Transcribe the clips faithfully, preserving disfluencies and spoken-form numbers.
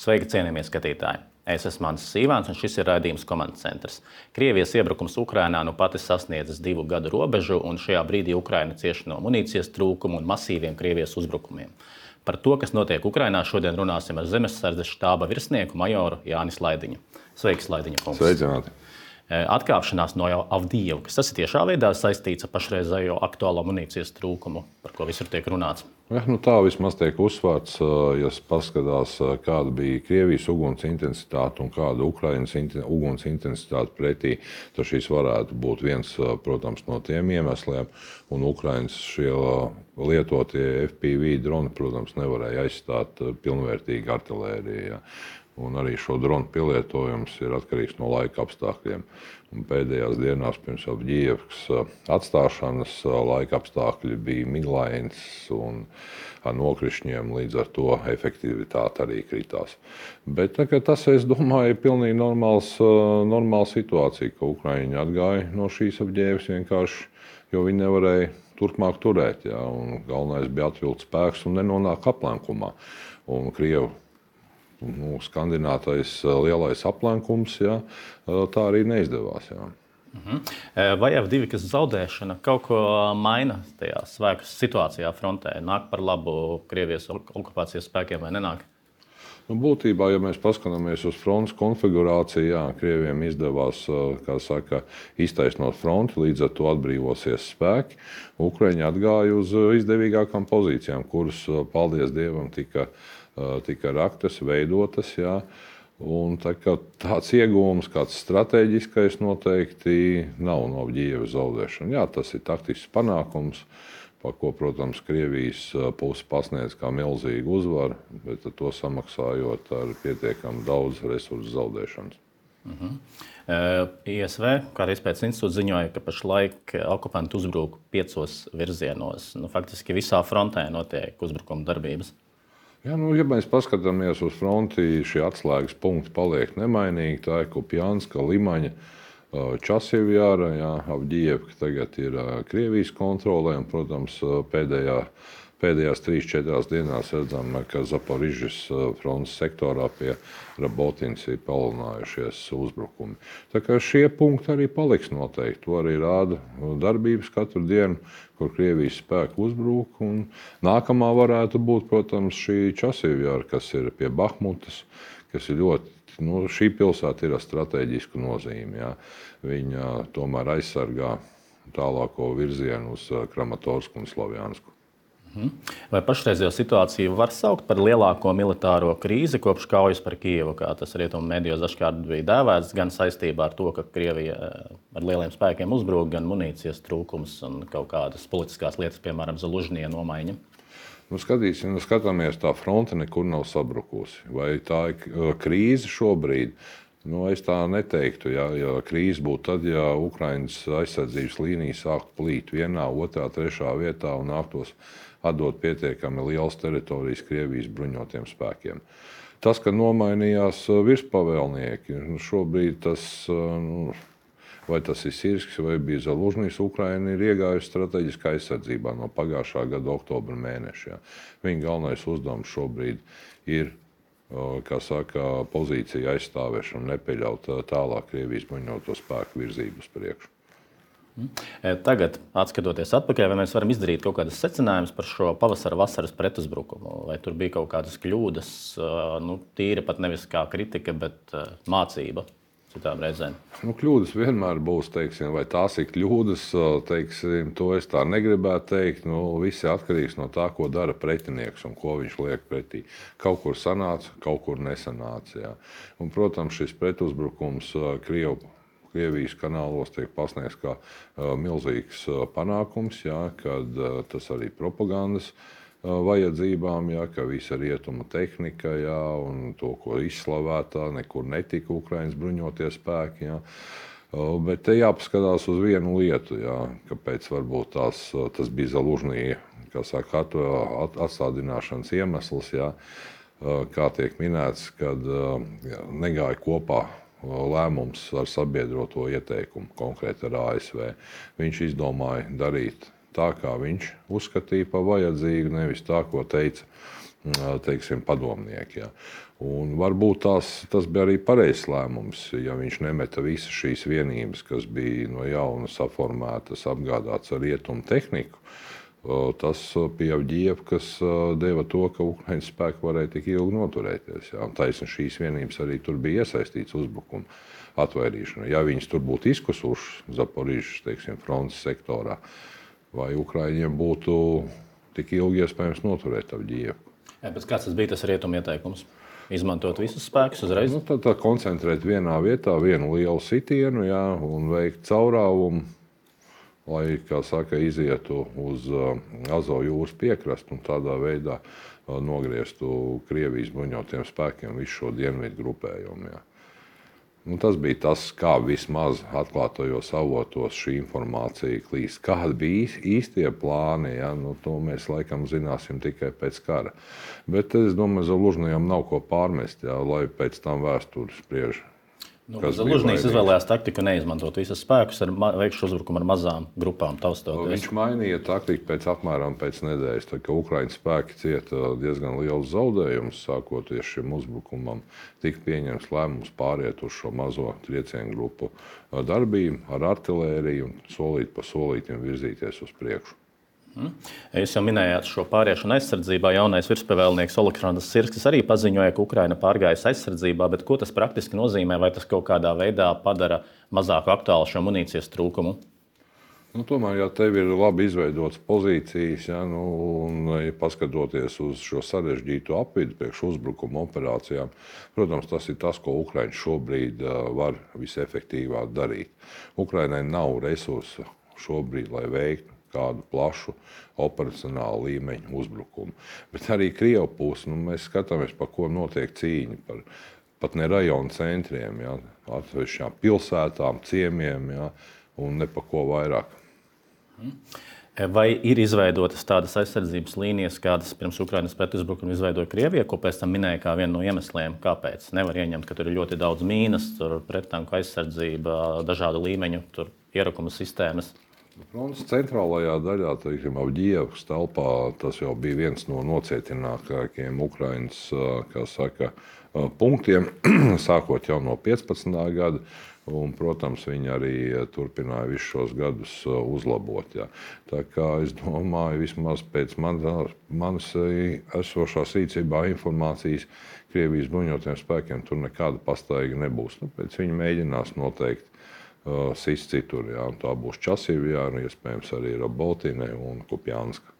Sveiki, cienījamie skatītāji! Es esmu Mans Sīvāns, un šis ir raidījums Komandas centrs. Krievijas iebrukums Ukrainā nu pati sasniedzis divu gadu robežu, un šajā brīdī Ukraina cieši no munīcijas trūkuma un masīviem Krievijas uzbrukumiem. Par to, kas notiek Ukrainā, šodien runāsim ar Zemesardzes štāba virsnieku majoru Jānis Laidiņu. Sveiks, Laidiņa kungs! Sveicināti! Atkāpšanās no Avdijivkas, tas ir tiešā veidā saistīts ar pašreizējo aktuālo munīcijas trūkumu, par ko visur tiek runāts? Ja, nu tā vismaz tiek uzsvērts, ja paskatās, kāda bija Krievijas uguns intensitāte un kāda Ukrainas uguns intensitāte pretī, tad šis varētu būt viens, protams, no tiem iemesliem. Un Ukrainas šie lietotie F P V droni, protams, nevarēja aizstāt pilnvērtīgi artilēriju. Ja. Un arī šo dronu pielietojums ir atkarīgs no laika apstākļiem. Un pēdējās dienās pirms Avdijivkas atstāšanas laika apstākļi bija miglains un ar nokrišņiem, līdz ar to efektivitāte arī kritās. Bet tas, es domāju, ir pilnīgi normāls, normāla situācija, ka Ukraiņi atgāja no šīs Avdijivkas vienkārši, jo viņi nevarēja turpmāk turēt. Ja. Un galvenais bija atvilkt spēks un nenonāk aplenkumā. Un Krievu Nu, skandinātais lielais aplenkums, jā, tā arī neizdevās. Jā. Uh-huh. Vai Avdijivkas zaudēšana kaut ko maina tajā spēku situācijā frontē? Nāk par labu Krievijas okupācijas spēkiem vai nenāk? Nu, būtībā, ja mēs paskatāmies uz frontes konfigurāciju, jā, Krieviem izdevās, kā saka, iztaisnot fronti, līdz ar to atbrīvosies spēki. Ukraiņi atgāja uz izdevīgākām pozīcijām, kuras, paldies Dievam, tika tika raktas, veidotas. Jā. Un tā tāds iegūms, kāds strateģiskais noteikti nav no Avdijivkas zaudēšana. Jā, tas ir taktisks panākums, par ko, protams, Krievijas puse pasniedz kā milzīgu uzvaru, bet to samaksājot ar pietiekami daudz resursu zaudēšanas. Uh-huh. I S V, kā arī Izpētes institūts, ziņoja, ka pašlaik okupanti uzbruk piecos virzienos. Nu, faktiski visā frontē notiek uzbrukuma darbības. Ja, nu, ja mēs paskatāmies uz fronti, šie atslēgas punkti paliek nemainīgi. Tā ir Kupjanska, Limaņa, Časivjāra, jā, Avdijivka tagad ir Krievijas kontrolē. Un, protams, pēdējā, pēdējās trīs četrās dienās redzam, ka Zaporižas frontes sektorā pie Rabotins ir palielinājušies uzbrukumi. Tā kā šie punkti arī paliks noteikti. To arī rāda darbības katru dienu, kur Krievijas spēki uzbrūk. Un nākamā varētu būt, protams, šī Časivjāra, kas ir pie Bahmutas, kas ir ļoti, nu, šī pilsēta ir ar strateģisku nozīmi. Jā. Viņa tomēr aizsargā tālāko virzienu uz Kramatorsku un Slovjansku. Vai pašreizējo situāciju var saukt par lielāko militāro krīzi kopš kaujas par Kijevu, kā tas rietumu medijos dažkārt bija dēvēts, gan saistībā ar to, ka Krievija ar lieliem spēkiem uzbrūk, gan munīcijas trūkums un kaut kādas politiskās lietas, piemēram, Zalužņija nomaiņa? Nu, skatīsim, skatāmies, tā fronte nekur nav sabrukusi. Vai tā ir krīze šobrīd? Nu, es tā neteiktu. Ja, ja krīze būtu tad, ja Ukrainas aizsardzības līnija sāktu plīt vienā, otrā, trešā vietā un nāktos atdot pietiekami liels teritorijas Krievijas bruņotiem spēkiem. Tas, ka nomainījās virspavēlnieki, šobrīd tas, nu, vai tas ir Sirskis vai bija Zalužņijs, Ukraina ir iegājusi strateģiskā aizsardzībā no pagājušā gada oktobra mēneša. Ja. Viņa galvenais uzdevums šobrīd ir, kā saka, pozīcija aizstāvēšana, nepieļaut tālāk Krievijas bruņoto spēku virzību uz priekšu. Tagad, atskatoties atpakaļ, vai mēs varam izdarīt kaut kādas secinājumus par šo pavasara-vasaras pretuzbrukumu? Vai tur bija kaut kādas kļūdas, nu, tīra pat nevis kā kritika, bet mācība citām reizēm? Nu, kļūdas vienmēr būs, teiksim, vai tās ir kļūdas, teiksim, to es tā negribētu teikt. Nu, viss ir atkarīgs no tā, ko dara pretinieks un ko viņš liek pretī. Kaut kur sanāca, kaut kur nesanāca. Jā. Un, protams, šis pretuzbrukums Krievu Krievijas kanālos tiek pasniegts kā uh, milzīgs uh, panākums, jā, kad uh, tas arī propagandas uh, vajadzībām, jā, ka visa rietuma tehnika, jā, un to, ko izslavētā, nekur netika Ukrainas bruņotie spēki. Jā. Uh, bet te jāpaskatās uz vienu lietu, jā, kāpēc varbūt tās, tas bija Zalužņija, kā saka, at, atstādināšanas iemesls, jā, uh, kā tiek minēts, kad uh, jā, negāja kopā lēmums ar sabiedroto ieteikumu, konkrēti ar A S V. Viņš izdomāja darīt tā, kā viņš uzskatīja par vajadzīgu, nevis tā, ko teica teiksim, padomnieki. Ja. Un varbūt tās, tas bija arī pareizs lēmums, ja viņš nemeta visas šīs vienības, kas bija no jauna saformētas, apgādātas ar rietumu tehniku. Tas bija Avdijeva, kas deva to, ka Ukraiņas spēki varēja tik ilgi noturēties. Ja. Taisni šīs vienības arī tur bija iesaistīts uzbrukuma atvairīšanā. Ja viņas tur būtu izkusušas Zaporižas, teiksim, frontes sektorā, vai Ukraiņiem būtu tik ilgi iespējams noturēt Avdijevu. Jā, bet kāds tas bija tas rietuma ieteikums? Izmantot visus spēkus uzreiz? Nu, tad, tad koncentrēt vienā vietā vienu lielu sitienu, jā, un veikt caurāvumu, lai, kā saka, izietu uz uh, Azovu jūras piekrastu un tādā veidā uh, nogrieztu Krievijas bruņotiem spēkiem visu šo dienvidu grupējumu. Jā. Nu, tas bija tas, kā vismaz atklātajos avotos šī informācija klīst. Kādi bija īstie plāni, ja? Nu, to mēs laikam zināsim tikai pēc kara. Bet es domāju, Zalužņijam nav ko pārmest, ja? Lai pēc tam vēsturi spriež. Nu, Zalužņijs izvēlējās taktiku neizmantot visus spēkus, ar veikšu uzbrukumu ar mazām grupām taustoties. Viņš mainīja taktiku pēc apmēram pēc nedēļas, tā, ka Ukraiņas spēki cieta diezgan liels zaudējums, sākoties šim uzbrukumam, tika pieņems lēmums pāriet uz šo mazo triecienu grupu darbību ar artilēriju un solīt pa solītim virzīties uz priekšu. Jūs jau minējāt šo pāriešanu aizsardzībā. Jaunais virspavēlnieks Oleksandrs Sirskis arī paziņoja, ka Ukraina pārgājas aizsardzībā, bet ko tas praktiski nozīmē? Vai tas kaut kādā veidā padara mazāk aktuālu šo munīcijas trūkumu? Nu, tomēr, ja tev ir labi izveidotas pozīcijas, ja, nu, un ja paskatoties uz šo sarežģīto apvidu priekš uzbrukuma operācijām, protams, tas ir tas, ko Ukraiņa šobrīd var visefektīvāk darīt. Ukrainai nav resursu šobrīd, lai veiktu kādu plašu operacionālu līmeņu uzbrukumu. Bet arī Krievu pusi, nu, mēs skatāmies, pa ko notiek cīņa, par pat ne rajonu centriem, ja, atsevišķām pilsētām, ciemiem, ja, un ne pa ko vairāk. Vai ir izveidotas tādas aizsardzības līnijas, kādas pirms Ukrainas pretuzbrukuma izveidoja Krievija, ko pēc tam minēja kā vienu no iemesliem, kāpēc? Nevar ieņemt, ka tur ir ļoti daudz mīnas, tur prettanku aizsardzība, dažādu līmeņu, tur ierakuma sistēmas. Frontes centrālajā daļā, teiksim, Avdijevas telpā, tas jau bija viens no nocietinātākajiem Ukrainas, kā saka, punktiem, sākot jau no piecpadsmitā gada. Un, protams, viņi arī turpināja visus šos gadus uzlabot. Jā. Tā kā es domāju, vismaz pēc manas, manas esošās rīcībā informācijas, Krievijas bruņotajiem spēkiem tur nekāda pastaiga nebūs. Nu, pēc viņi mēģinās noteikti uh, sist citur. Jā. Tā būs Časīvjā, un iespējams arī Robotīnē un Kupjanska.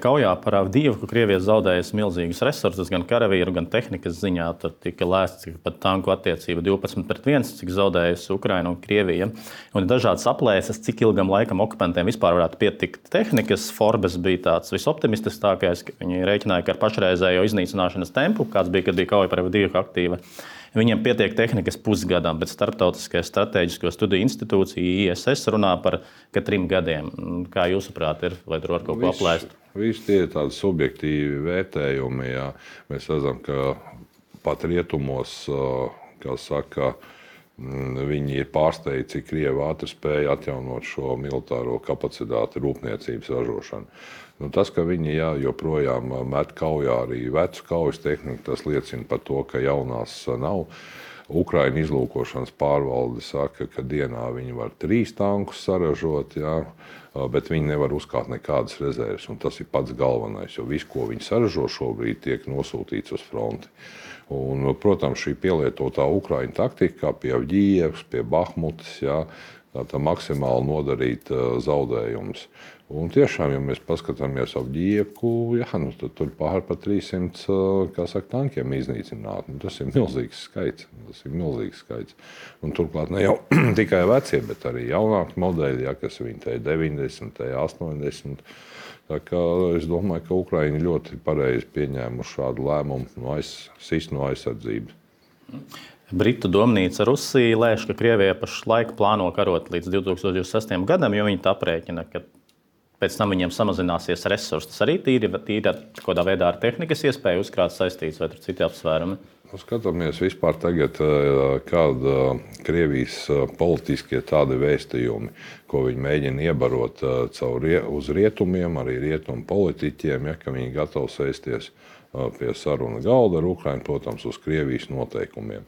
Kaujā par Avdijevu, ka Krievija zaudējusi milzīgus resursus, gan karavīru, gan tehnikas ziņā. Tur tika lēsts, ka pat tanku attiecība divpadsmit pret viens, cik zaudējusi Ukraina un Krievija. Un dažādas aplēses, cik ilgam laikam okupantiem vispār varētu pietikt tehnikas. Forbes bija tāds visoptimistiskākais, ka viņi rēķināja, ka ar pašreizējo iznīcināšanas tempu, kāds bija, kad bija kauja par Avdijevu aktīva, viņiem pietiek tehnikas pusgadam, bet Starptautiskais strateģisko studiju institūcija I S S runā par ka trim gadiem. Kā jūsuprāt ir, vai tur var kaut ko aplēst? Visi tie ir tādi subjektīvi vērtējumi. Jā. Mēs redzam, ka pat rietumos, kā saka, viņi ir pārsteigti, cik Krievi ātri spēja atjaunot šo militāro kapacitāti rūpniecības ražošanu. Nu, tas, ka viņi jā, joprojām met kaujā arī vecu kaujas tehniku, tas liecina par to, ka jaunās nav. Ukraina izlūkošanas pārvalde saka, ka dienā viņi var trīs tankus saražot, jā, bet viņi nevar uzkāpt nekādas rezerves. Un tas ir pats galvenais, jo viss, ko viņi saražo šobrīd, tiek nosūtīts uz fronti. Un, protams, šī pielietotā Ukraiņu taktika, kā pie Avdijevas, pie Bahmutas, jā, tā maksimāli nodarīt zaudējumus. Un tiešām, ja mēs paskatāmies Avdijevu, jā, nu, tad tur pār par trīssimt kā saka, tankiem iznīcināt. Nu, tas ir milzīgs skaits. Tas ir milzīgs skaits. Un turklāt ne jau tikai vecie, bet arī jaunāki modeļi, jā, kas viņi te deviņdesmit, astoņdesmit. Tā kā es domāju, ka Ukraiņi ļoti pareizi pieņēmuši šādu lēmumu no aiz, sist no aizsardzības. Britu domnīca Rusija lēš, ka Krievija pašlaik plāno karot līdz divi tūkstoši divdesmit sestajam gadam, jo viņi tā aprēķina, ka pēc tam viņiem samazināsies resursi. Tas arī tīri, tīri kādā veidā ar tehnikas iespēju uzkrāt saistīts vai tur citi apsvērumi? Skatāmies vispār tagad, kāda Krievijas politiskie tādi vēstījumi, ko viņi mēģina iebarot caur uz rietumiem, arī rietumu politiķiem, ja, ka viņi gatavi sēsties pie saruna galda ar Ukrainu, protams, uz Krievijas noteikumiem.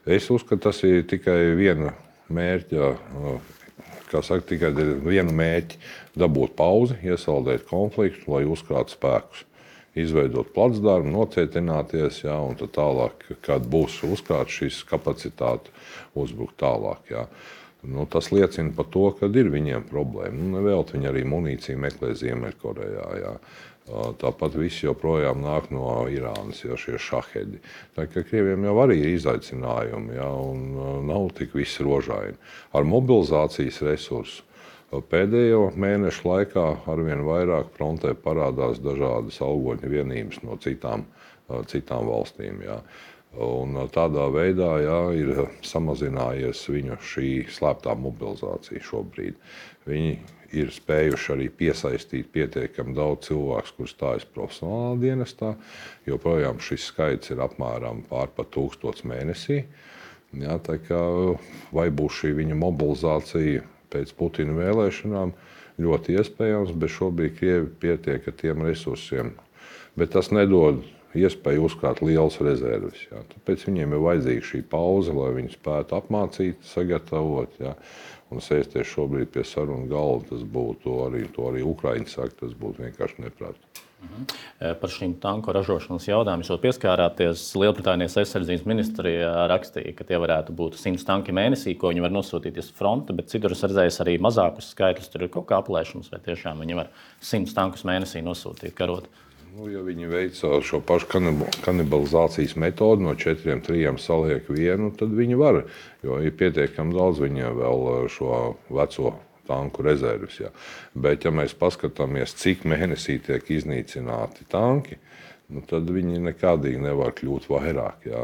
Es uzskatu, tas ir tikai viena mērķa, kā saka, tikai viena mērķa dabūt pauzi, iesaldēt konfliktu, lai uzkrātu spēkus. Izveidot placdarmu, nocietināties, jā, un tad tālāk, kad būs uzkrāts šīs kapacitāte, uzbrukt tālāk. Jā. Nu, tas liecina par to, ka ir viņiem problēma. Nu, nevēlt viņi arī munīciju meklē Ziemeļkorejā. Jā. Tāpat viss joprojām nāk no Irānas, ja šie šahedi. Tā kā Krieviem jau arī ir izaicinājumi, jā, un nav tik viss rožaini. Ar mobilizācijas resursu pēdējo mēnešu laikā arvien vairāk frontē parādās dažādas algoņu vienības no citām, citām valstīm. Jā. Un tādā veidā jā, ir samazinājies viņu šī slēptā mobilizācija šobrīd. Viņi ir spējuši arī piesaistīt pietiekami daudz cilvēku, kurus stājas profesionālā dienestā. Joprojām šis skaits ir apmēram pār pat tūkstots mēnesī. Jā, tā kā, vai būs šī viņa mobilizācija pēc Putina vēlēšanām, ļoti iespējams, bet šobrīd Krievi pietiek ar tiem resursiem. Bet tas nedod iespēju uzkrāt lielas rezerves. Jā. Tāpēc viņiem ir vajadzīga šī pauze, lai viņi spētu apmācīt, sagatavot, jā, un sēsties šobrīd pie sarunu galda. Tas būtu arī, to arī Ukraiņi saka, tas būtu vienkārši neprātīgi. Mhm. Par šīm tanku ražošanas jautājumus jau pieskārāties. Lielbritānijas aizsardzības ministrija rakstīja, ka tie varētu būt simts tanki mēnesī, ko viņi var nosūtīt uz fronti, bet citur es redzēju arī mazākus skaitļus. Tur ir kaut kā aplēšums, vai tiešām viņi var simts tankus mēnesī nosūtīt karot. Nu, ja viņi veic šo pašu kanibalizācijas metodi, no četriem, trijiem saliek vienu, tad viņi var, jo ir pietiekami daudz viņiem vēl šo veco tanku rezerves. Jā. Bet, ja mēs paskatāmies, cik mēnesī tiek iznīcināti tanki, nu, tad viņi nekādīgi nevar kļūt vairāk. Jā.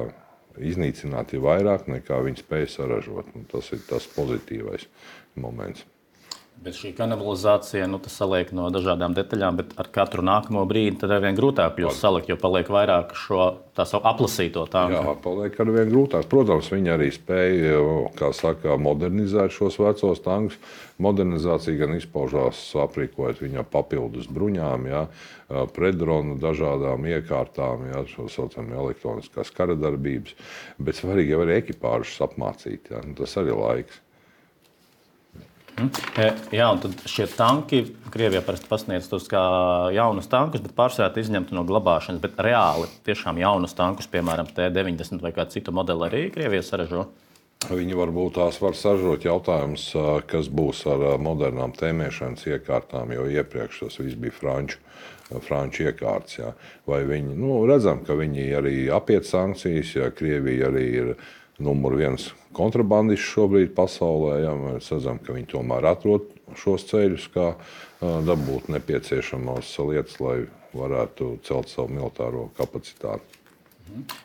Iznīcināti ir vairāk, nekā viņi spēj saražot. Nu, tas ir tas pozitīvais moments. Bet šī kanibalizācija, nu, tas saliek no dažādām detaļām, bet ar katru nākamo brīdi tad arvien grūtāk kļūst salikt, jo paliek vairāk šo tā savu aplasīto tanku. Jā, paliek arvien grūtāk. Protams, viņi arī spēja, kā saka, modernizēt šos vecos tankus. Modernizācija gan izpaužās aprīkojot viņu papildus bruņām, jā, pretdronu dažādām iekārtām, jā, šo saucam elektroniskās karadarbības, bet svarīgi jau arī ekipāžus apmācīt, jā, tas arī laiks. Jā, un tad šie tanki, Krievija parasti pasniedz tos kā jaunus tankus, bet pārsvarā izņemti no glabāšanas. Bet reāli tiešām jaunus tankus, piemēram, T deviņdesmit vai kādu citu modeli arī Krievija saražo? Viņi varbūt tās var saražot. Jautājums, kas būs ar modernām tēmēšanas iekārtām, jo iepriekš tas viss bija franču, franču iekārts. Jā. Vai viņi, nu, redzam, ka viņi arī apiet sankcijas, ja Krievija arī ir numur viens kontrabandists šobrīd pasaulē. Jā, mēs redzam, ka viņi tomēr atrod šos ceļus, kā dabūt nepieciešamās lietas, lai varētu celt savu militāro kapacitāti.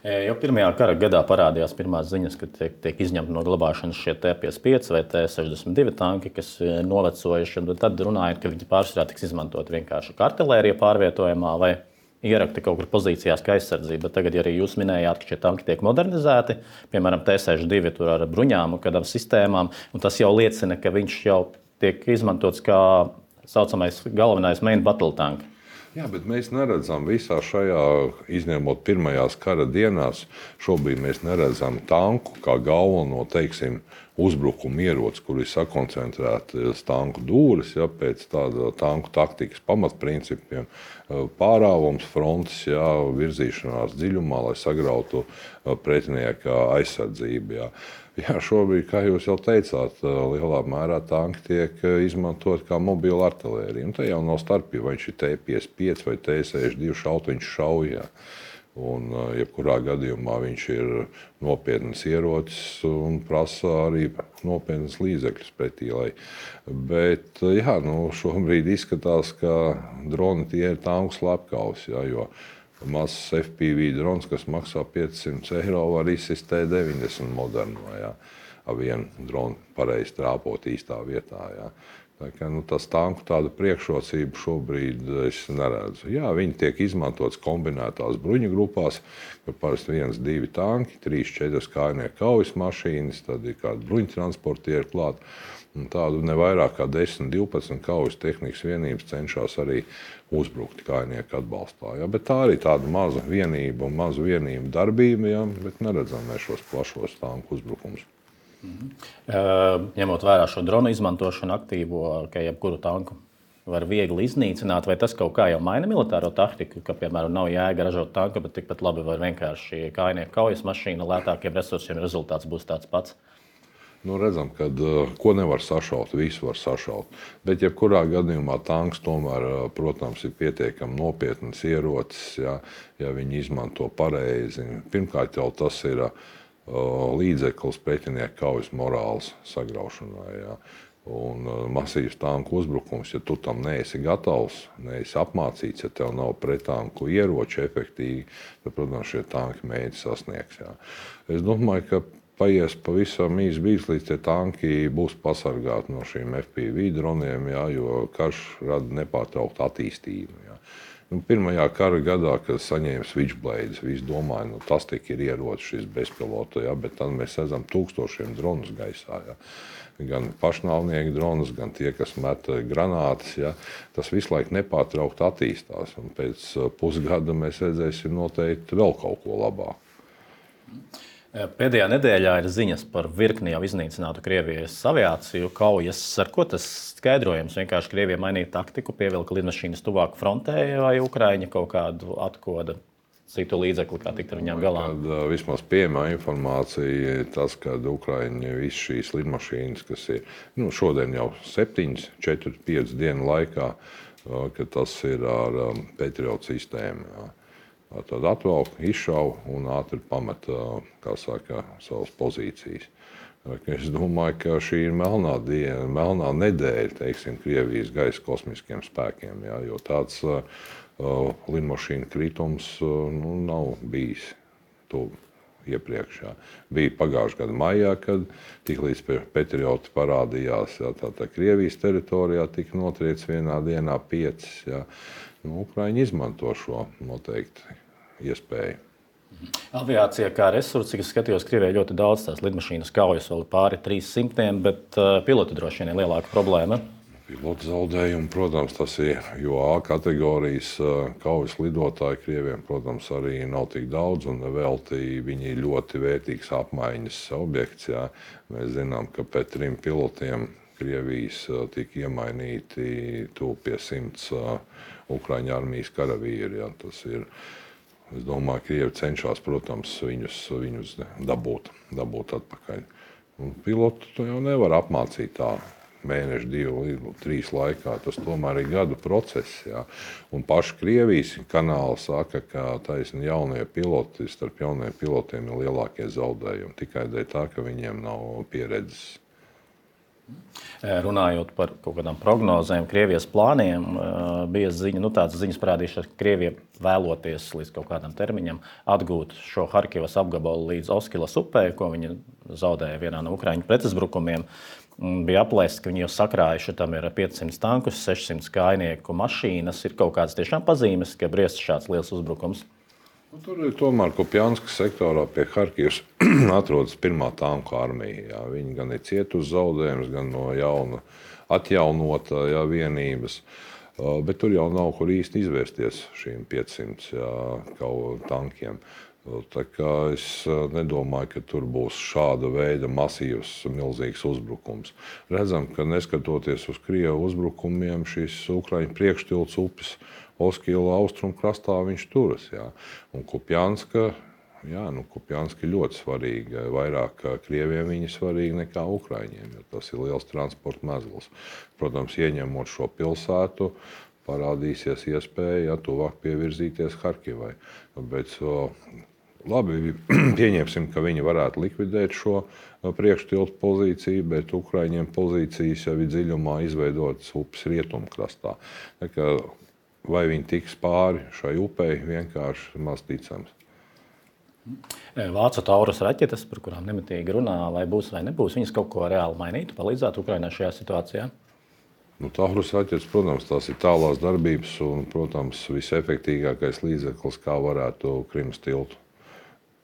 Jau pirmajā kara gadā parādījās pirmās ziņas, ka tiek, tiek izņemti no glabāšanas šie T piecdesmit pieci vai T sešdesmit divi tanki, kas novecojuši. Tad runājot, ka viņi pārsvarā tiks izmantot vienkārši kā artilērija pārvietojumā vai ierakti kaut kur pozīcijās kā aizsardzība. Bet tagad arī jūs minējāt, ka šie tanki tiek modernizēti, piemēram, T sešdesmit divi tur ar bruņām un kādām sistēmām, un tas jau liecina, ka viņš jau tiek izmantots kā saucamais galvenais main battle tank. Jā, bet mēs neredzam visā šajā, izņemot pirmajās kara dienās, šobrīd mēs neredzam tanku kā galveno, teiksim, uzbrukumu ieroci, kur ir sakoncentrētas tanku dūris, ja, pēc tāda tanku taktikas pamatprincipiem, pārāvums frontes, ja, virzīšanās dziļumā, lai sagrautu pretinieka aizsardzību. Ja. Jā, šobrīd, kā jūs jau teicāt, lielā mērā tanki tiek izmantot kā mobila artilērija. Un te jau nav starpība, vai viņš ir T piecdesmit pieci vai T sešdesmit divi šautiņš šaujā. Un jebkurā gadījumā viņš ir nopietnas ierocis un prasa arī nopietnas līdzekļus pretī. Lai. Bet jā, nu, šobrīd izskatās, ka droni tie ir tanku slepkavas, jā, jo mazs F P V drons, kas maksā piecsimt eiro, var izsist T deviņdesmit moderno, jā, ar vienu dronu pareizi trāpot īstā vietā. Jā. Tā kā, nu, tas tanku tāda priekšrocība šobrīd es neredzu. Jā, viņi tiek izmantotas kombinētās bruņu grupās, ka parasti viens, divi tanki, trīs, četras kājnieku kaujas mašīnas, tad ir kādi bruņtransportieri klāt. Un tādu ne vairāk kā desmit, divpadsmit kaujas tehnikas vienības cenšas arī uzbrukt kājnieku atbalstā. Ja? Bet tā arī tāda maza vienība un maza vienība darbība, ja? Bet neredzam mēs šos plašos tanku uzbrukumus. Mhm. Ņemot vērā šo dronu izmantošanu aktīvo, ka jebkuru tanku var viegli iznīcināt, vai tas kaut kā jau maina militāro taktiku, ka, piemēram, nav jēga ražot tanku, bet tikpat labi var vienkārši kājnieku kaujas mašīna lētākiem resursiem, rezultāts būs tāds pats? Nu, redzam, ka ko nevar sašaut, visu var sašaut. Bet, jebkurā gadījumā, tanks tomēr, protams, ir pietiekami nopietnas ierocis, ja, ja viņi izmanto pareizi. Pirmkārt, jau tas ir līdzeklis pretinieku kaujas morāles sagraušanai. Ja. Un masīvs tanku uzbrukums, ja tu tam neesi gatavs, neesi apmācīts, ja tev nav pretanku ieroči efektīvi, tad, protams, šie tanki mēģina sasniegs. Ja. Es domāju, ka paies pavisam īsts brīdis, līdz tie tanki būs pasargāti no šiem F P V droniem, ja, jo karš rada nepārtrauktu attīstību. Ja. Nu, pirmajā kara gadā, kad saņēma Switchblades, visi domāja, nu, tas tik ir ierocis šis bezpilota, ja, bet tad mēs redzam tūkstošiem dronus gaisā. Ja. Gan pašnāvnieku dronus, gan tie, kas met granātas. Ja. Tas visu laiku nepārtraukti attīstās. Un pēc pusgada mēs redzēsim noteikti vēl kaut ko labāku. Pēdējā nedēļā ir ziņas par virkni jau iznīcinātu Krievijas aviāciju kaujas. Ar ko tas skaidrojams? Vienkārši Krievija mainīja taktiku, pievilka lidmašīnas tuvāk frontē, vai Ukraiņa kaut kādu atkoda citu līdzekli, kā tikt ar viņām galā? Kad, vismaz pieejamā informācija ir tas, ka Ukraiņa visas šīs lidmašīnas, kas ir nu, šodien jau septiņas, četras, piecas dienu laikā, ka tas ir ar Patriot sistēmu. Jā. Tad atvelk, izšauj un ātri pamet, kā saka, savas pozīcijas. Es domāju, ka šī ir melnā diena, melnā nedēļa, teiksim, Krievijas gaisa kosmiskiem spēkiem, jā, jo tāds uh, lidmašīnu kritums uh, nu, nav bijis tu iepriekš. Jā. Bija pagājušā gada maijā, kad tiklīdz Patrioti parādījās, jā, tā, tā Krievijas teritorijā tika notriec vienā dienā piecas. Jā. Nu, Ukraiņi izmanto šo noteikti iespēju. Aviācija kā resursi, cik es skatījos, Krievijai ļoti daudz tās lidmašīnas kaujas, vēl pāri trīs simtiem, bet uh, piloti droši vien ir lielāka problēma. Pilotu zaudējumi, protams, tas ir, jo A kategorijas uh, kaujas lidotāji Krieviem, protams, arī nav tik daudz, un velti viņi ir ļoti vērtīgs apmaiņas objekts. Jā. Mēs zinām, ka pēc trim pilotiem Krievijas uh, tika iemainīti tuvu pie simts uh, Ukraiņu armijas karavīri. Jā. Tas ir, es domāju, ka Krievi cenšas, protams, viņus, viņus dabūt, dabūt atpakaļ. Un pilotu to jau nevar apmācīt tā mēnešu, divu, trīs laikā. Tas tomēr ir gadu process. Jā. Un paši Krievijas kanāli saka, ka taisni jaunie piloti, starp jauniem pilotiem ir lielākie zaudējumi. Tikai dēļ tā, ka viņiem nav pieredzes. Runājot par kaut kādām prognozēm, Krievijas plāniem, bija ziņa, nu tādas ziņas parādījušās, ka Krievija vēloties līdz kaut kādam termiņam atgūt šo Harkivas apgabalu līdz Oskilas upē, ko viņi zaudēja vienā no Ukraiņu pretuzbrukumiem. Bija aplēsts, ka viņi jau sakrājuši, tam ir piecsimt tankus, sešsimt kājnieku mašīnas. Ir kaut kādas tiešām pazīmes, ka briest šāds liels uzbrukums. Tur ir tomēr Kupjanskas sektorā pie Harkivas atrodas pirmā tanku armija. Jā. Viņi gan ir cietuši zaudējumus, gan no jauna atjaunota jā, vienības. Bet tur jau nav kur īsti izvērsties šīm piecsimt tankiem. Tā kā es nedomāju, ka tur būs šāda veida masīvs, milzīgs uzbrukums. Redzam, ka neskatoties uz Krievu uzbrukumiem, šis Ukraiņu priekštilts upes Oskila austrumkrastā viņš turas. Jā. Un Kupjanska, jā, nu, Kupjanska ir ļoti svarīga. Vairāk Krieviem viņa svarīga nekā Ukraiņiem, jo tas ir liels transporta mezgls. Protams, ieņemot šo pilsētu, parādīsies iespēja ja, tuvāk pievirzīties Harkivai. Bet, labi, pieņemsim, ka viņi varētu likvidēt šo priekštiltu pozīciju, bet Ukraiņiem pozīcijas jau ir dziļumā izveidotas upes rietumkrastā. Tā kā vai viņi tiks pāri šai upei, vienkārši maz ticams. Vācu Taurus raķetes, par kurām nemitīgi runā, vai būs vai nebūs, viņas kaut ko reāli mainītu, palīdzētu Ukrainai šajā situācijā? Nu, Taurus raķetes, protams, tās ir tālās darbības un, protams, visefektīgākais līdzeklis, kā varētu Krimas tiltu.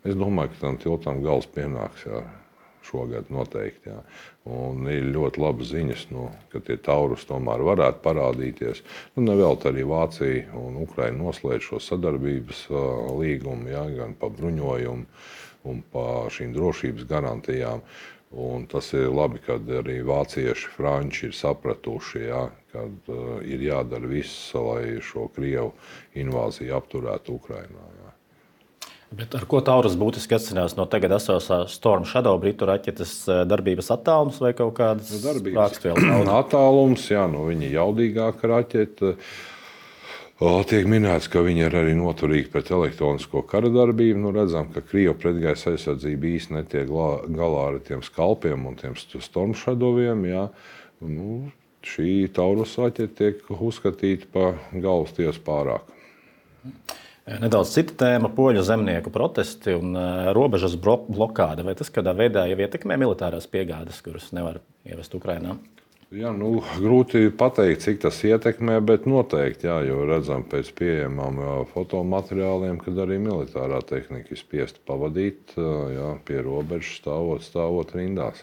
Es domāju, ka tam tiltam gals pienāks jā, šogad noteikti. Jā. Un ir ļoti labas ziņas, nu, ka tie Taurus tomēr varētu parādīties. Nu, nevēlt arī Vācija un Ukraina noslēdz šo sadarbības uh, līgumu, jā, gan pa bruņojumu un pa šīm drošības garantijām. Un tas ir labi, kad arī vācieši, franči ir sapratuši, jā, kad uh, ir jādara viss, lai šo Krievu invāziju apturētu Ukrainā. Jā. Bet ar ko Taurus būtiski atšķirās no tagad esošā Storm Shadow britu raķetes darbības attālums vai kaut kādas sprāgstvielu attālums? Jā, nu, viņa ir jaudīgāka raķete. Tiek minēts, ka viņi ir arī noturīgi pret elektronisko kara darbību. Nu, redzam, ka Krievu pretgaisa aizsardzība īsti netiek galā ar tiem skalpiem un tiem Storm Shadowiem. Jā. Nu, šī Taurus raķete tiek uzskatīta par galvas tiesu pārāk. Nedaudz cita tēma - poļu zemnieku protesti un uh, robežas blokāde. Vai tas kādā veidā jau ietekmē militārās piegādes, kuras nevar ievest Ukrainā? Jā, nu, grūti pateikt, cik tas ietekmē, bet noteikti, jā, jo redzam pēc pieejamām fotomateriāliem, kad arī militārā tehnika ir spiesta pavadīt jā, pie robežas stāvot, stāvot rindās.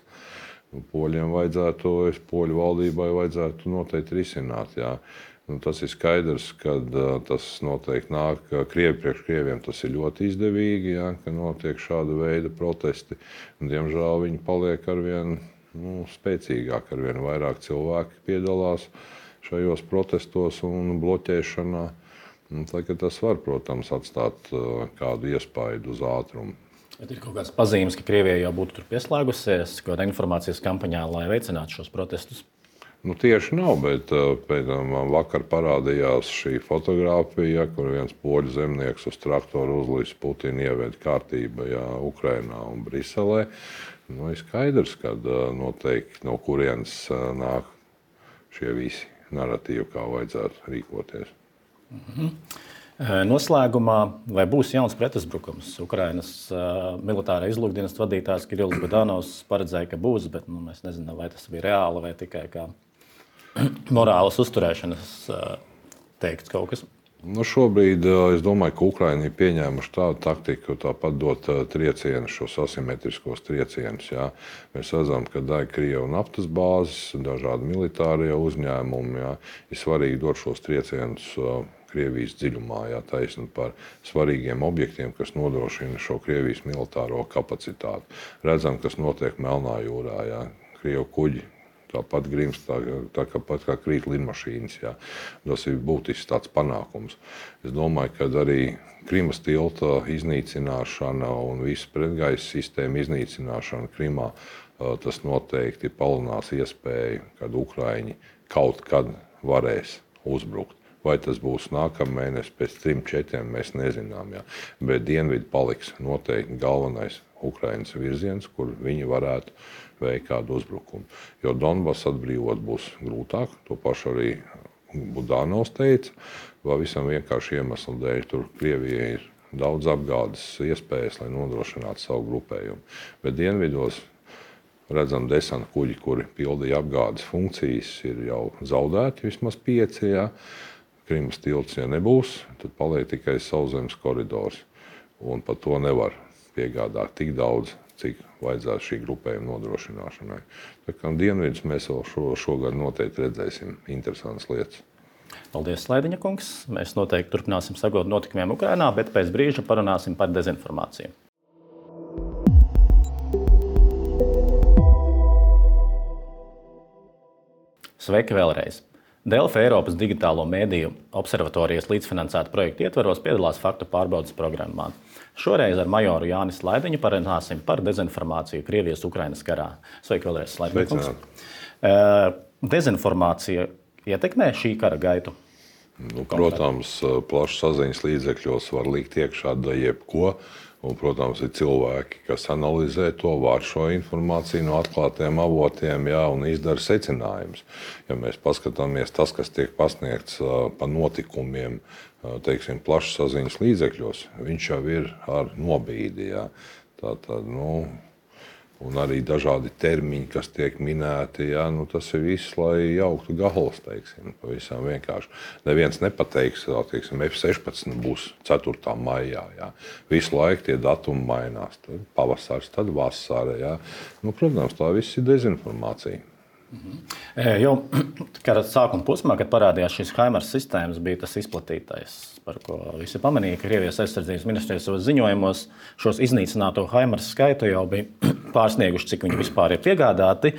Nu, poļiem vajadzētu, es poļu valdībai vajadzētu noteikti risināt, jā. Nu, tas ir skaidrs, ka uh, tas noteikti nāk Krievi priekš Krieviem. Tas ir ļoti izdevīgi, ja, ka notiek šāda veida protesti. Un, diemžēl viņi paliek arvien nu, spēcīgāk, arvien vairāk cilvēki piedalās šajos protestos un bloķēšanā. Un, tā, tas var, protams, atstāt uh, kādu iespaidu uz ātrumu. Bet ir kaut kādas pazīmes, ka Krievija jau būtu tur pieslēgusies kādā informācijas kampaņā, lai veicinātu šos protestus? Nu, tieši nav, bet pēdām, vakar parādījās šī fotogrāfija, kur viens poļu zemnieks uz traktoru uzlīs Putinu ieved kārtība jā, Ukrainā un Briselē. Nu, ir skaidrs, ka noteikti no kurienes nāk šie visi naratīvi, kā vajadzētu rīkoties. Mhm. Noslēgumā, vai būs jauns pretuzbrukums? Ukrainas uh, militārā izlūkdienas vadītājs Kirillis Budanovs paredzēja, ka būs, bet nu, mēs nezinām, vai tas bija reāli vai tikai kā morālas uzturēšanas uh, teikts kaut kas. Nu, šobrīd es domāju, ka Ukraina ir pieņēmuši tādu taktiku, tāpat dot triecienus, šos asimetriskos triecienus. Jā. Mēs redzam, ka daļa Krievu naftas bāzes, dažādi militārie uzņēmumi, jā, ir svarīgi dot šos triecienus Krievijas dziļumā, jā, taisni par svarīgiem objektiem, kas nodrošina šo Krievijas militāro kapacitāti. Redzam, kas notiek Melnā jūrā, jā. Krievu kuģi tāpat grimst, tā, tā kā, pat kā krīt lidmašīnas. Jā. Tas ir būtisks tāds panākums. Es domāju, ka arī Krimas tilta iznīcināšana un visu pretgaisa sistēmu iznīcināšana Krimā, tas noteikti palielinās iespēju, kad Ukraiņi kaut kad varēs uzbrukt. Vai tas būs nākamēnes, pēc trim, četriem, mēs nezinām. Jā. Bet dienvidi paliks noteikti galvenais Ukrainas virziens, kur viņi varētu veikt kādu uzbrukumu. Jo Donbass atbrīvot būs grūtāk, to pašu arī Budanovs teica, vai visam vienkārši iemeslu dēļ. Tur Krievijai ir daudz apgādes iespējas, lai nodrošinātu savu grupējumu. Bet dienvidos redzam desanta kuģi, kuri pildīja apgādes funkcijas, ir jau zaudēti vismaz pieci. Jā. Krimas tilts, ja nebūs, tad paliek tikai sauszemes koridors. Un par to nevar piegādāt tik daudz, cik vajadzētu šī grupējuma nodrošināšanai. Tā kā dienvidus mēs vēl šo, šogad noteikti redzēsim interesantas lietas. Paldies, Slaidiņa kungs. Mēs noteikti turpināsim sekot notikumiem Ukrainā, bet pēc brīža parunāsim par dezinformāciju. Sveiki vēlreiz! Delfi Eiropas digitālo mēdīju observatorijas līdzfinansēta projekta ietvaros piedalās faktu pārbaudes programmā. Šoreiz ar majoru Jāni Slaidiņu parunāsim par dezinformāciju Krievijas-Ukrainas karā. Sveiki vēlreiz, Slaidiņa kungs. Dezinformācija ietekmē šī kara gaitu? Nu, protams, plašsaziņas līdzekļos var likt iekšā da jebko. Un, protams, ir cilvēki, kas analizē to, var šo informāciju no atklātiem avotiem, jā, un izdara secinājumus. Ja mēs paskatāmies tas, kas tiek pasniegts uh, pa notikumiem, uh, teiksim, plašsaziņas līdzekļos, viņš jau ir ar nobīdi. Jā. Tātad, nu, Un arī dažādi termiņi, kas tiek minēti, jā, nu tas ir viss, lai jauktu galvas, teiksim, pavisam vienkārši. Neviens nepateiks, teiksim, F sešpadsmit būs ceturtā maijā, jā. Visu laiku tie datumi mainās, tad pavasars, tad vasara, jā. Nu, protams, tā viss ir dezinformācija. Mhm. Jau kara sākuma posmā, kad parādījās šīs HIMARS sistēmas, bija tas izplatītais, par ko visi pamanīja, ka Krievijas aizsardzības ministrijas savos ziņojumos šos iznīcināto HIMARS skaitu jau bija pārsnieguši, cik viņi vispār ir piegādāti.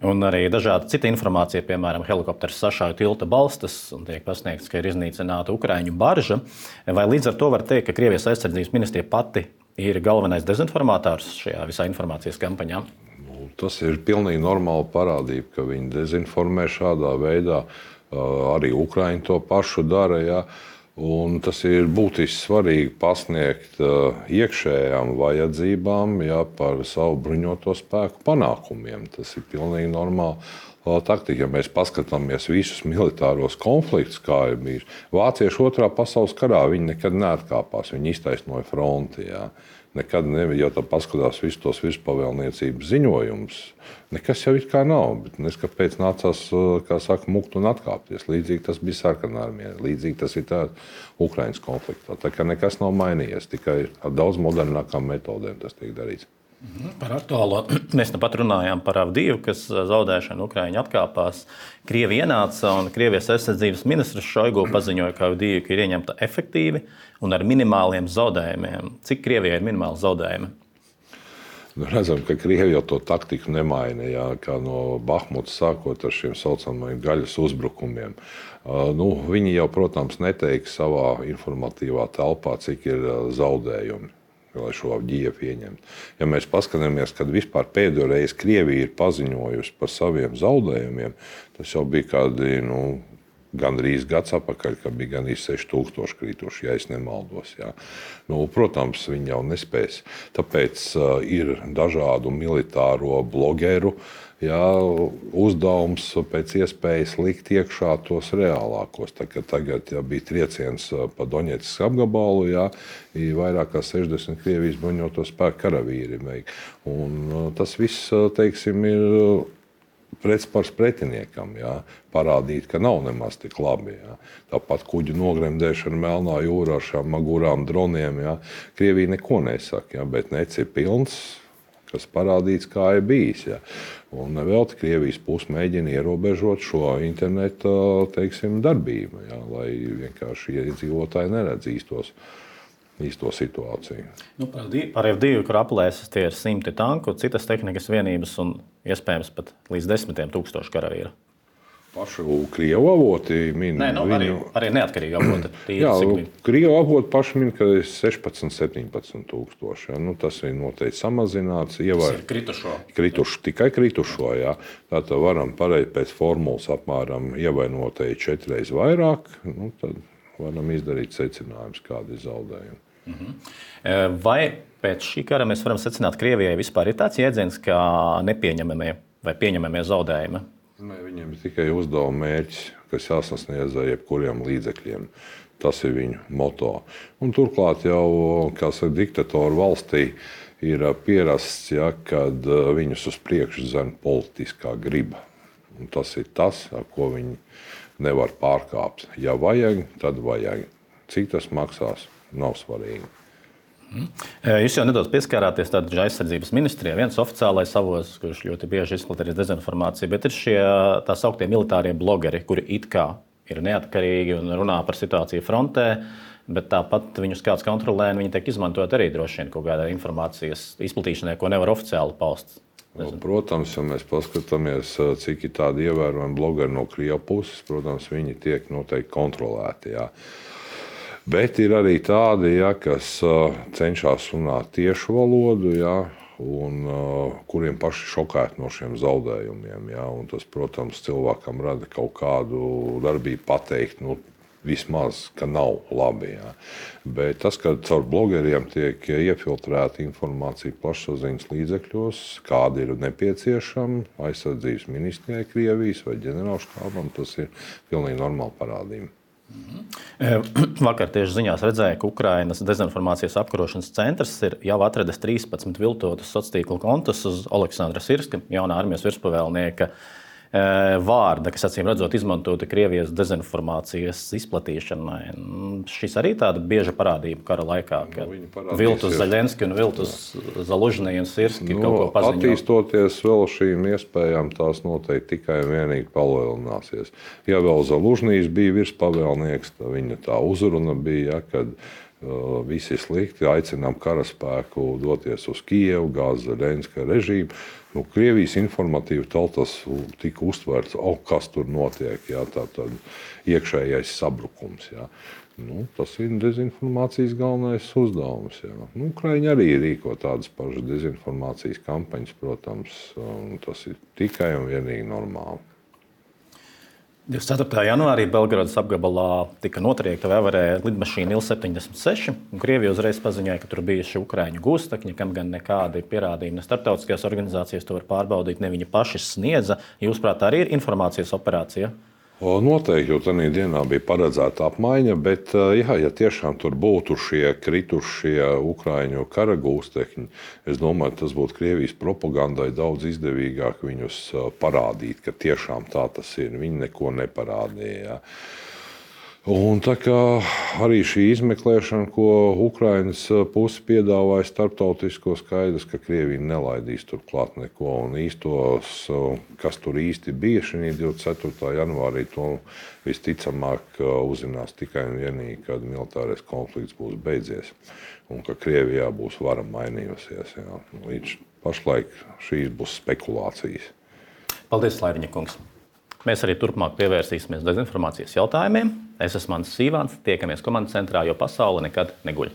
Un arī dažāda cita informācija, piemēram, helikopters sašauja tilta balstas un tiek pasniegts, ka ir iznīcināta Ukraiņu barža. Vai līdz ar to var teikt, ka Krievijas aizsardzības ministrija pati ir galvenais dezinformātors šajā visā informācijas kampaņā? Tas ir pilnīgi normāla parādība, ka viņi dezinformē šādā veidā. Arī Ukraiņi to pašu dara. Ja? Un tas ir būtiski svarīgi pasniegt iekšējām vajadzībām, ja, par savu bruņoto spēku panākumiem. Tas ir pilnīgi normāli taktika. Ja mēs paskatāmies visus militāros konfliktus, kā ir bijis. Vācieši otrā pasaules karā viņi nekad neatkāpās, viņi iztaisnoja fronti. Ja. Nekad nebija, ja tā paskatās visus tos virspavēlniecības ziņojumus, nekas jau it kā nav, bet nes kāpēc nācās, kā saka, mukt un atkāpties. Līdzīgi tas bija sarkanarmijā, līdzīgi tas ir tā Ukrainas konfliktā. Tā kā nekas nav mainījies, tikai ar daudz modernākām metodēm tas tiek darīts. Par aktuālo mēs nu pat runājām par Avdīvu, kas zaudēšanu Ukraiņi atkāpās. Krievi ienāca un Krievijas aizsardzības ministrs Šoigu paziņoja, ka Avdīva ir ieņemta efektīvi un ar minimāliem zaudējumiem. Cik Krievijai ir minimāli zaudējumi? Nu, redzam, ka Krievi jau to taktiku nemaina, jā, kā no Bahmutas sākot ar šiem saucamajiem gaļas uzbrukumiem. Uh, nu, viņi jau, protams, neteiks savā informatīvā telpā, cik ir uh, zaudējumi, lai šo Avdīvu ieņemtu. Ja mēs paskatāmies, kad vispār pēdējo reizi Krievija ir paziņojusi par saviem zaudējumiem, tas jau bija kādi, nu, gandrīz gads atpakaļ, kad bija gandrīz seši tūkstoši krituši, ja es nemaldos. Jā. Nu, protams, viņi jau nespēs. Tāpēc uh, ir dažādu militāro blogeru, jā, uzdevums pēc iespējas likt iekšā tos reālākos. Tā, tagad jā, bija trieciens pa Doņetskas apgabalu, jā, vairāk kā sešdesmit Krievijas bruņoto spēku karavīri. Un tas viss, teiksim, ir pretspars pretiniekam, jā, parādīt, ka nav nemaz tik labi. Jā. Tāpat kuģu nogremdēšana Melnā jūrā ar šām magurām droniem. Jā. Krievija neko nesaka, jā, bet nec ir pilns, kas parādīts, kā ir bijis. Jā. Un nevelti Krievijas puse mēģina ierobežot šo interneta, teiksim, darbību, jā, lai vienkārši iedzīvotāji neredz īstos. īsto situāciju. Nu, par Avdīvu, kur aplēses tie ir simti tanku, citas tehnikas vienības un iespējams pat līdz desmitiem tūkstoši karavīru. Pašu Krievu avoti min. Nē, nu, viņu... arī, arī neatkarīgi avoti. Jā, Krievu avoti paši min, ka ir sešpadsmit, septiņpadsmit tūkstoši. Ja? Nu, tas ir noteikti samazināts. Ievar... Kritušo. Kritušo. Tikai kritušo, jā. Tātad varam pareizi pēc formulas apmēram ievainotēji četreiz vairāk. Nu, tad varam izdarīt secinājumus, kādi ir zaudējumi. Mhm. Vai pēc šī kara mēs varam secināt, ka Krievijai vispār ir tāds jēdziens, kā nepieņemamie vai pieņemamie zaudējumi? Nē, viņiem ir tikai uzdevuma mērķis, kas jāsasniedz ar jebkuriem līdzekļiem. Tas ir viņu moto. Un turklāt jau, kā saka, diktatoru valstī ir pierasts, ja, kad viņus uz priekšu zem politiskā griba. Un tas ir tas, ar ko viņi nevar pārkāpt. Ja vajag, tad vajag. Cik tas maksās? Nav svarīgi. Jūs jau nedaudz pieskārāties tādā aizsardzības ministrijā. Viens oficiālais avots, kurš ļoti bieži izplatīja dezinformāciju, bet ir šie tā sauktie militārie blogeri, kuri it kā ir neatkarīgi un runā par situāciju frontē, bet tāpat viņus kāds kontrolē un viņi tiek izmantot arī droši vien kaut kādā informācijas izplatīšanai, ko nevar oficiāli paust. Nu, protams, ja mēs paskatāmies, cik ir tādi ievērojami blogeri no Krievijas puses, protams, viņi tiek noteikti kontrolēti. Jā. Bet ir arī tādi, ja, kas uh, cenšas runāt tiešu valodu, ja, un uh, kuriem paši šokēti no šiem zaudējumiem. Ja, un tas, protams, cilvēkam rada kaut kādu darbību pateikt, nu, vismaz, ka nav labi. Ja. Bet tas, ka caur blogeriem tiek iefiltrēta informācija plašsaziņas līdzekļos, kādi ir nepieciešami aizsardzības ministrijai Krievijas vai ģenerālštābam, tas ir pilnīgi normāla parādība. Vakar tieši ziņās redzēja, ka Ukrainas dezinformācijas apkarošanas centrs ir jau atradis trīspadsmit viltotus sociālo tīklu kontus uz Aleksandra Sirska, jaunā armijas virspavēlnieka vārda, kas acīm redzot izmantota Krievijas dezinformācijas izplatīšanai. Šis arī tāda bieža parādība kara laikā, ka nu, viltus Zaļenski un viltus Zalužņi un Sirski nu, kaut ko paziņo. Attīstoties vēl šīm iespējām, tās noteikti tikai un vienīgi palielināsies. Ja vēl Zalužņīs bija virspavēlnieks, tad viņa tā uzruna bija, ja, kad uh, visi slikti, aicinām karaspēku doties uz Kijevu, gāzt Zaļenska režīmu. Nu, Krievijas informatīvi tas tika uztverts, oh, kas tur notiek, jā, tā tad iekšējais sabrukums. Jā. Nu, tas ir dezinformācijas galvenais uzdevums. Jā. Nu, Ukraiņi arī rīko tādas pašas dezinformācijas kampaņas, protams, tas ir tikai un vienīgi normāli. divdesmit ceturtajā janvārī Belgradas apgabalā tika notriekta vēvarē lidmašīna Il septiņdesmit seši. Krievija uzreiz paziņoja, ka tur bijuši ukraiņu gūstekņi, kam gan nekādi pierādījumi ne starptautiskajās organizācijas to var pārbaudīt, ne viņi paši sniedza. Jūsuprāt, arī ir informācijas operācija? O, noteikti, jo tajā dienā bija paredzēta apmaiņa, bet jā, ja tiešām tur būtu šie kritušie ukraiņu kara gūstekņi, es domāju, tas būtu Krievijas propagandai daudz izdevīgāk viņus parādīt, ka tiešām tā tas ir. Viņi neko neparādīja. Un tā kā arī šī izmeklēšana, ko Ukrainas puse piedāvāja starptautisko, skaidrs, ka Krievija nelaidīs tur klāt neko. Un īstos, kas tur īsti bija šī divdesmit ceturtajā janvārī, to visticamāk uzzinās tikai un vienīgi, kad militārais konflikts būs beidzies. Un ka Krievijā būs vara mainījusies. Jā. Līdz pašlaik šīs būs spekulācijas. Paldies, Slairiņa kungs! Mēs arī turpmāk pievērsīsimies dezinformācijas jautājumiem. Es esmu Mans Sīvāns, tiekamies komandas centrā, jo pasaule nekad neguļ.